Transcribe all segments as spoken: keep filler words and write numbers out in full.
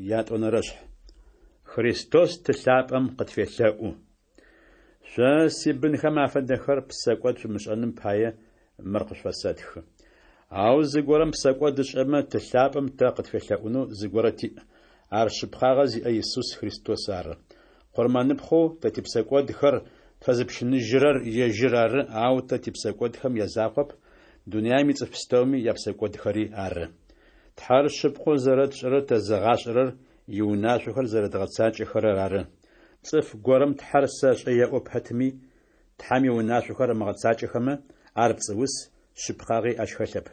Ятӏонэрэшъхь. Христос Ты лъапӏэм къытфелъэӏу. Шъо сибынхэм афэдэхэр, псэкӏод шъумышӏэным пае мыр къышъуфэсэтхы. Ау зыгорэм псэкӏод ышӏэмэ, Ты лъапӏэм тэ къытфелъэӏунэу зыгорэ тиӏ. Ар шъыпкъагъэ зиӏэ Исус Христос ары. Къурмэныпхъэу тэ типсэкӏодхэр тфэзыпщыныжьырэр ежьыр ары, ау тэ типсэкӏодхэм язакъоп, дунаим ицӏыф пстэуми япсэкӏодхэри ары. Тхьэр шъыпкъэу зэрэтшӏэрэр тэзыгъашӏэрэр иунашъохэр зэрэдгъэцакӏэхэрэр ары. Цӏыф горэм Тхьэр сэшӏэ еӏо пэтми, Тхьэм иунашъохэр ымыгъэцакӏэхэмэ, ар пцӏыус, шъыпкъагъи ащ хэлъэп.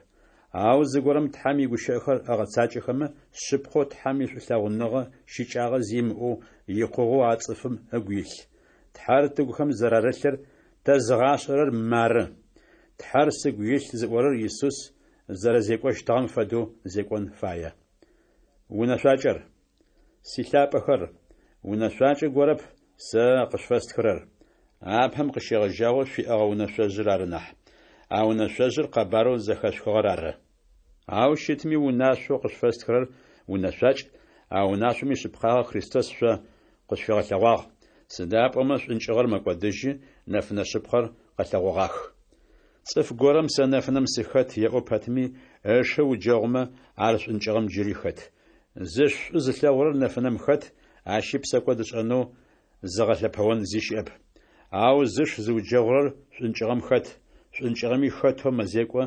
Ау зыгорэм Тхьэм игущыӏэхэр ыгъэцакӏэхэмэ, шъыпкъэу Тхьэм ишӏулъэгъуныгъэ щыкӏагъэ зи имыӏэу икъугъэу а цӏыфым ыгу илъ. Тхьэр тыгухэм зэрарылъыр тэзыгъашӏэрэр мары: Тхьэр сыгу илъ зыӏорэр Исус зэрэзекӏощтыгъэм фэдэу зекӏон фае. Унэшъуакӏэр. Силъапӏэхэр, унэшъуакӏэ горэп сэ къышъуфэстхырэр, апэм къыщегъэжьагъэу шъуиӏэгъэ унэшъожъыр ары нахь. А унэшъожъыр къэбарэу зэхэшъухыгъэр ары. Ау щытми унашъоу къышъуфэстхырэр унэшъуакӏ, а унашъом ишъыпкъагъэ Христос шъо къышъуфигъэлъэгъуагъ, сыда пӏомэ шӏункӏыгъэр мэкӏодыжьы, нэфынэ шъыпкъэр къэлъэгъогъах. Цӏыф горэм сэ нэфынэм сыхэт еӏо пэтми, ышы ыуджэгъумэ, ар шӏункӏыгъэм джыри хэт. Зыш шӏу зылъэгъурэр нэфынэм хэт, ащи псэкӏод ышӏэнэу зыгъэлъэпэон зи щыӏэп. Ау зыш зыуджэгъурэр шӏункӏыгъэм хэт, шӏункӏыгъэми хэтэу мэзекӏо,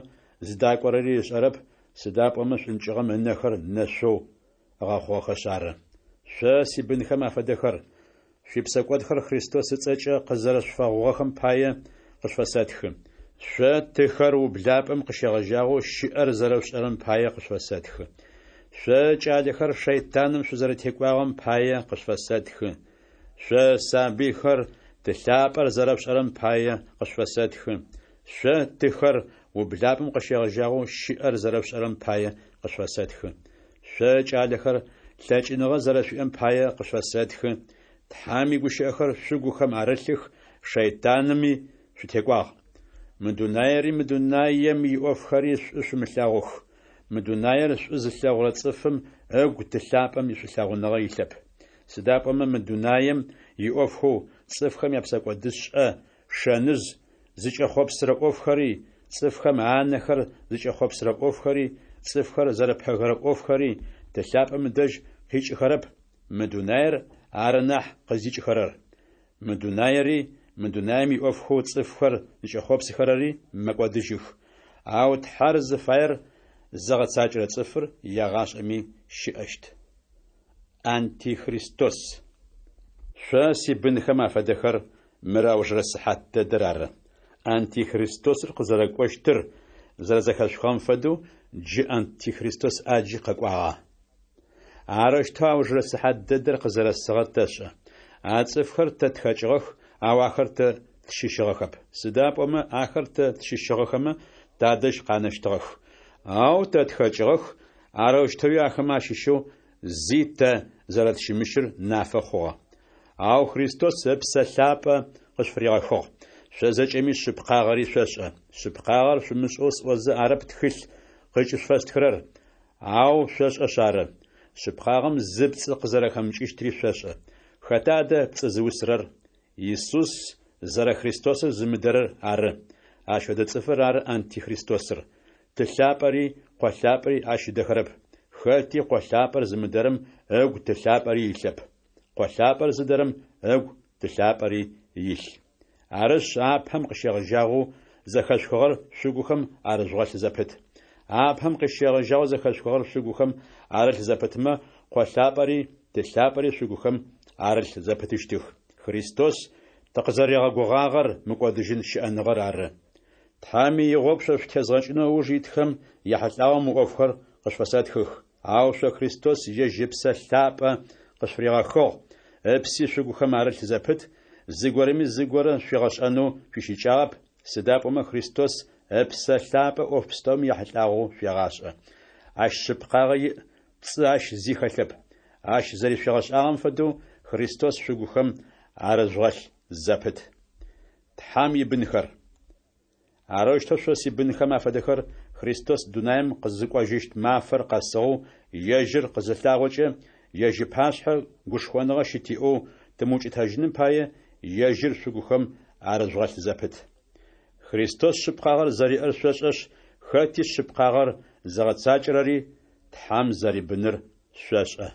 зыдакӏорэри ышӏэрэп, сыда пӏомэ шӏункӏыгъэм ынэхэр нэшъоу ыгъэхъугъэхэшъ ары. Шъо, сибынхэм афэдэхэр, шъуипсэкӏодхэр Христос ыцӏэкӏэ къызэрэшъуфэгъугъэхэм пае къышъуфэсэтхы. Шъо, тыхэр, ублапӏэм къыщегъэжьагъэу щыӏэр зэрэшъушӏэрэм пае къышъуфэсэтхы. Шъо, кӏалэхэр, шэйтаным шъузэрэтекӏуагъэм пае къышъуфэсэтхы. Шъо, сабыйхэр, Ты лъапӏэр зэрэшъушӏэрэм пае къышъуфэсэтхы. Шъо, тыхэр, ублапӏэм къыщегъэжьагъэу щыӏэр зэрэшъушӏэрэм пае къышъуфэсэтхы. Шъо, кӏалэхэр, лъэкӏыныгъэ зэрэшъуиӏэм пае къышъуфэсэтхы. Тхьэм игущыӏэхэр шъугухэм арылъых, шэйтанми шъутекӏуагъ. Мы дунаери мы дунаем иӏофхэри шӏу шъумылъэгъух. Мы дунаер шӏу зылъэгъурэ цӏыфым ыгу Ты лъапӏэм ишӏулъэгъуныгъэ илъэп. Сыда пӏомэ мы дунаем иӏофхэу, цӏыфхэм япсэкӏодышӏэ шэныжъ зыкӏэхъопсырэ ӏофхэри, цӏыфхэм анэхэр зыкӏэхъопсырэ ӏофхэри, цӏыфхэр зэрэпэгэрэ ӏофхэри Ты лъапӏэм ыдэжь къикӏыхэрэп, мы дунаер ары нахь къыздикӏыхэрэр. Мы дунаери, мы дунаем иӏофхэу цӏыфхэр зыкӏэхъопсыхэрэри мэкӏодыжьых. Ау Тхьэр зыфаер зыгъэцакӏэрэ цӏыфыр егъашӏэми щыӏэщт. Антихристос. Шъо, сибынхэм афэдэхэр, мыр аужырэ сыхьат дэдэр ары. Антихристосыр къызэрэкӏощтыр зэрэзэхэшъухыгъэм фэдэу джы Антихристос ӏаджи къэкӏуагъэ. Арэущтэу аужырэ сыхьат дэдэр къызэрэсыгъэр тэшӏэ. А цӏыфхэр тэ тхэкӏыгъэх, ау ахэр тэ тщыщыгъэхэп. Сыда пӏомэ ахэр тэ тщыщыгъэхэмэ, тадэжь къанэщтыгъэх. Ау тэ тхэкӏыгъэх, арэущтэуи ахэмэ ащыщэу зи тэ зэрэтщымыщыр нафэ хъугъэ. Ау Христос Ыпсэ Лъапӏэ къышъуфыригъэхыгъ. Шъо зэкӏэми шъыпкъагъэри шъошӏэ. Шъыпкъагъэр шъумышӏэу сӏозэ арэп тхылъ къыкӏышъуфэстхырэр, ау шъошӏэшъ ары. Шъыпкъагъэм зы пцӏы къызэрэхэмыкӏыщтри шъошӏэ. Хэта адэ пцӏы зыусырэр? Исус зэрэ Христосыр зымыдэрэр ары. Ащ фэдэ цӏыфыр ары Антихристосыр. Ты лъапӏэри Къо лъапӏэри ащ ыдэхэрэп. Хэти Къо лъапӏэр зымыдэрэм ыгу Ты лъапӏэри илъэп. Къо лъапӏэр зыдэрэм ыгу Ты лъапӏэри илъ. Арышъ, апэм къыщегъэжьагъэу зэхэшъухыгъэр шъугухэм арыжъугъэлъ зэпыт. Апэм къыщегъэжьагъэу зэхэшъухыгъэр шъугухэм арылъ зэпытмэ, Къо лъапӏэри Ты лъапӏэри шъугухэм арылъ зэпытыщтых. Христос тыкъызэригъэгугъагъэр мыкӏодыжьын щыӏэныгъэр ары. Тхьэм игъогу шъо шъутезгъэкӏынэу ыуж итхэм яхьылӏагъэу мы ӏофхэр къышъуфэсэтхых. Ау шъо Христос ежь Ыпсэ Лъапӏэ къышъуфыригъэхыгъ, ыпси шъугухэм арылъ зэпыт, зыгорэми зыгорэ шъуигъэшӏэнэу шъуищыкӏагъэп, сыда пӏомэ Христос Ыпсэ Лъапӏэ ӏоф пстэуми яхьылӏагъэу шъуегъашӏэ. Ащ шъыпкъагъэ иӏ, пцӏы ащ зи хэлъэп. Ащ зэришъуигъэшӏагъэм фэдэу Христос шъугухэм арыжъугъэлъ зэпыт. Тхьэм ибынхэр. Арэущтэу шъо сибынхэм афэдэхэр Христос дунаим къызыкӏожьыщт мафэр къэсыгъэу ежьыр къызылъагъокӏэ ежь ыпашъхьэ гушхоныгъэ щытиӏэу, тымыукӏытэжьыным пае, ежьыр шъугухэм арыжъугъэлъ зэпыт. Христос шъыпкъагъэр зэриӏэр шъошӏэшъ, хэти шъыпкъагъэр зыгъэцакӏэрэри Тхьэм зэрибыныр шъошӏэ.